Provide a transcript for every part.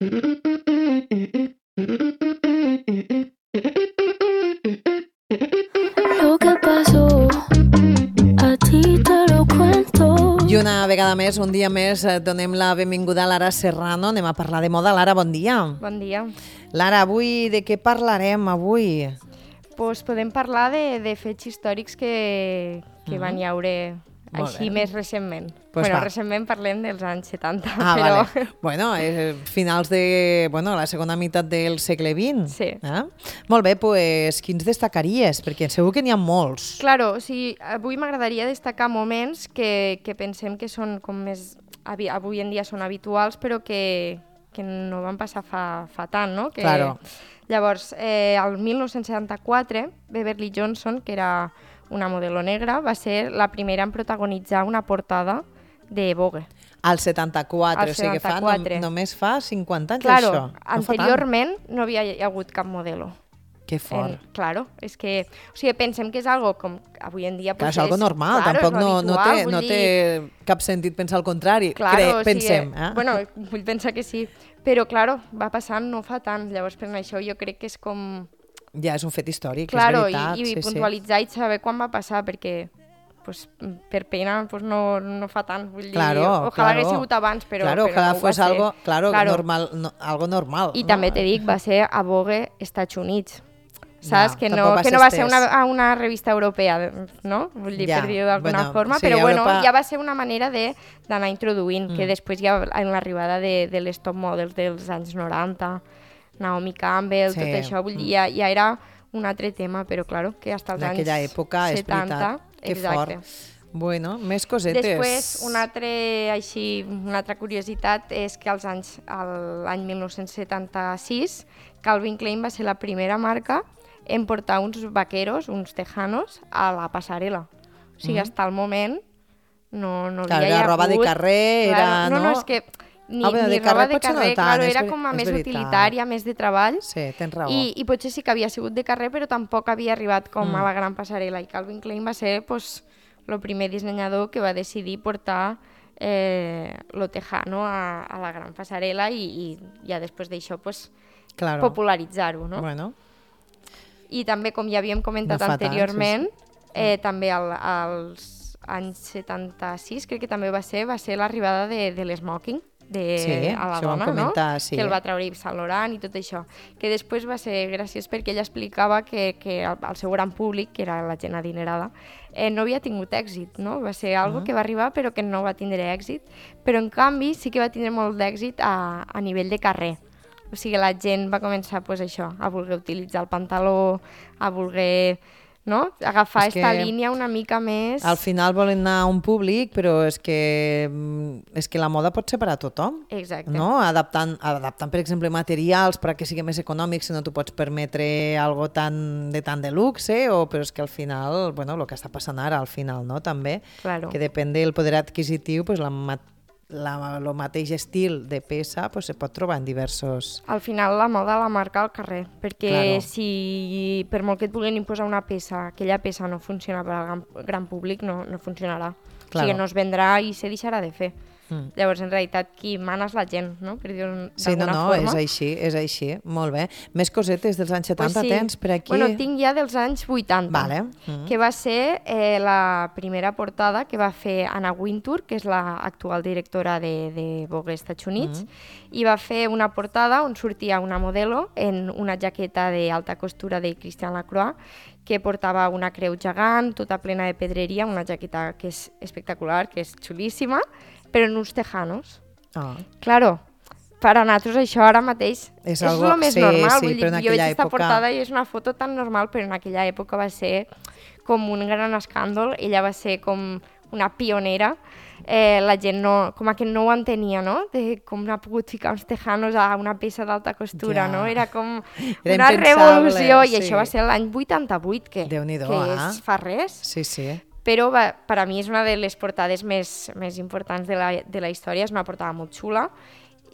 Lo que pasó, a ti te lo cuento. I una vegada més, un dia més, donem la benvinguda a Lara Serrano. Anem a parlar de moda. Lara, bon dia. Bon dia. Lara, avui de què parlarem avui? Pues podem parlar de fets històrics que van hi haure així més recentment. Pues va. Recentment parlem dels anys 70, Ah, però... vale. Bueno, finals de la segona meitat del segle XX. Sí. Molt bé, pues, quins destacaries? Perquè segur que n'hi ha molts. Claro, o sigui, avui m'agradaria destacar moments que pensem que són com més... Avui en dia són habituals, però que no van passar fa tant, no? Claro. Llavors, el 1974, Beverly Johnson, que era una modelo negra, va ser la primera en protagonitzar una portada de Vogue. Al 74, o sigui que només fa 50 anys, això. Claro, anteriorment no havia hagut cap modelo. Que fort. Claro, és que... O sigui, pensem que és algo com... Avui en dia... Clar, és algo normal, tampoc no té cap sentit pensar el contrari. Claro, pensem. Bueno, vull pensar que sí. Però, claro, va passant no fa tant. Llavors, per això jo crec que és com... Ja, és un fet històric, claro, és veritat. I puntualitzar i saber quan va passar, perquè pues, per pena pues, no fa tant. Vull dir, ojalà hagués sigut abans, però ojalà no fos algo normal, algo normal. I també te dic, va ser a Vogue Estats Units. Saps? Que no va ser una revista europea, no? Vull dir, per dir-ho d'alguna forma, però bueno, ja va ser una manera d'anar introduint, que després ja en l'arribada de les top models dels anys 90, Naomi Campbell, tot això, vull dir, ja era un altre tema, però claro, que fins als anys 70... En aquella època, és veritat, que fort. Bueno, més cosetes. Després, una altra curiositat és que l'any 1976, Calvin Klein va ser la primera marca en portar uns vaqueros, uns tejanos, a la passarel·la. O sigui, fins al moment no havia hagut... roba de carrer, era... No, és que ni roba de carrer, claro, era com a més utilitària, més de treball. Sí, tens raó. I potser sí que havia sigut de carrer, però tampoc havia arribat com a la gran passarel·la. I Calvin Klein va ser el primer dissenyador que va decidir portar lo tejano a la gran passarel·la i ja després d'això popularitzar-ho, no? Bueno. I també, com ja havíem comentat anteriorment, també als anys 76, crec que també va ser l'arribada de l'esmoking a la dona, no? Sí. Que el va treure Yves Saint Laurent i tot això. Que després va ser graciós perquè ella explicava que el seu gran públic, que era la gent adinerada, no havia tingut èxit, no? Va ser algo que va arribar però que no va tindre èxit, però en canvi sí que va tindre molt d'èxit a nivell de carrer. O sigui, la gent va començar a voler utilitzar el pantaló, a voler agafar aquesta línia una mica més... Al final volen anar a un públic, però és que la moda pot ser per a tothom. Exacte. No? Adaptant, per exemple, materials perquè sigui més econòmic, si no t'ho pots permetre algo tan de luxe, però és que al final, bueno, el que està passant ara al final, no? També, que depèn del poder adquisitiu, pues el mateix estil de peça se pot trobar en diversos... Al final la moda la marca al carrer, perquè si per molt que et vulguin imposar una peça, aquella peça no funciona per al gran públic, no funcionarà. O sigui, no es vendrà i se deixarà de fer. Llavors, en realitat, qui mana és la gent, no? Per dir-ho d'alguna forma. És així, molt bé. Més cosetes dels anys 70 tens per aquí? Bueno, tinc ja dels anys 80, que va ser la primera portada que va fer Anna Wintour, que és l'actual directora de Vogue Estats Units, i va fer una portada on sortia una modelo en una jaqueta d'alta costura de Christian Lacroix, que portava una creu gegant, tota plena de pedreria, una jaqueta que és espectacular, que és xulíssima, però en uns tejanos. Claro, per a nosaltres això ara mateix és el més normal. Vull dir, jo veig aquesta portada i és una foto tan normal, però en aquella època va ser com un gran escàndol. Ella va ser com una pionera. La gent com que no ho entenia, no? De com ha pogut ficar uns tejanos a una peça d'alta costura, no? Era com una revolució. I això va ser l'any 88, que és fa res. Sí, sí. Però per a mi és una de les portades més importants de la història, és una portada molt xula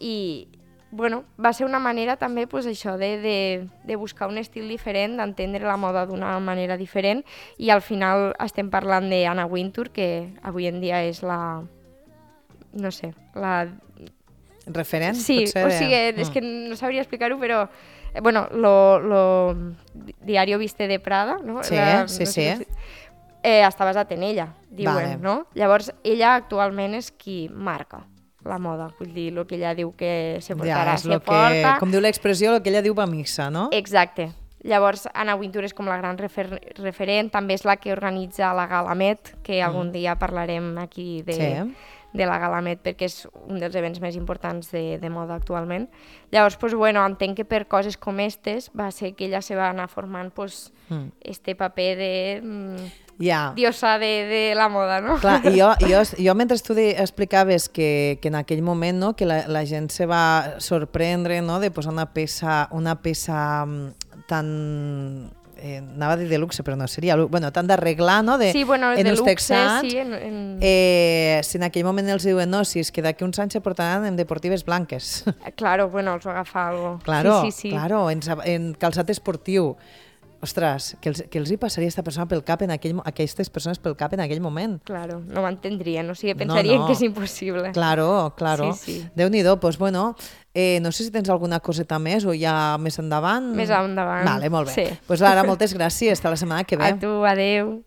i bueno, va ser una manera també això de buscar un estil diferent, d'entendre la moda d'una manera diferent i al final estem parlant d'Anna Wintour, que avui en dia és la referent, sí, potser? O sigui, és que no sabria explicar-ho, però bueno, lo Diario Viste de Prada, no? Sí, sí. Està basat en ella, diuen, no? Llavors, ella actualment és qui marca la moda, vull dir, el que ella diu que se portarà, se porta... Com diu l'expressió, el que ella diu va missa, no? Exacte. Llavors, Anna Wintour és com la gran referent, també és la que organitza la Gala Met, que algun dia parlarem aquí de la Gala Met, perquè és un dels events més importants de moda actualment. Llavors, pues, bueno, entenc que per coses com aquestes va ser que ella se va anar formant este paper de diosa de la moda, no? Clar, i jo mentre tu explicaves que en aquell moment, no, que la gent se va sorprendre, no, de posar una peça tan... anava a dir de luxe, però no seria... Bueno, tan d'arreglar, no? Sí, bueno, de luxe, texans, sí. Si en aquell moment els diuen, no, si és que d'aquí uns anys se portaran en deportives blanques. Claro, bueno, els va agafar algo. Claro, sí. Claro, en calçat esportiu. Ostres, què els hi passaria a aquestes persones pel cap en aquell moment? Claro, no ho entendrien, o sigui, pensarien que és impossible. Claro. Sí. Déu-n'hi-do, doncs bueno, no sé si tens alguna coseta més o ja més endavant. Més endavant. Vale, molt bé. Sí. Doncs Lara, moltes gràcies, fins la setmana que ve. A tu, adeu.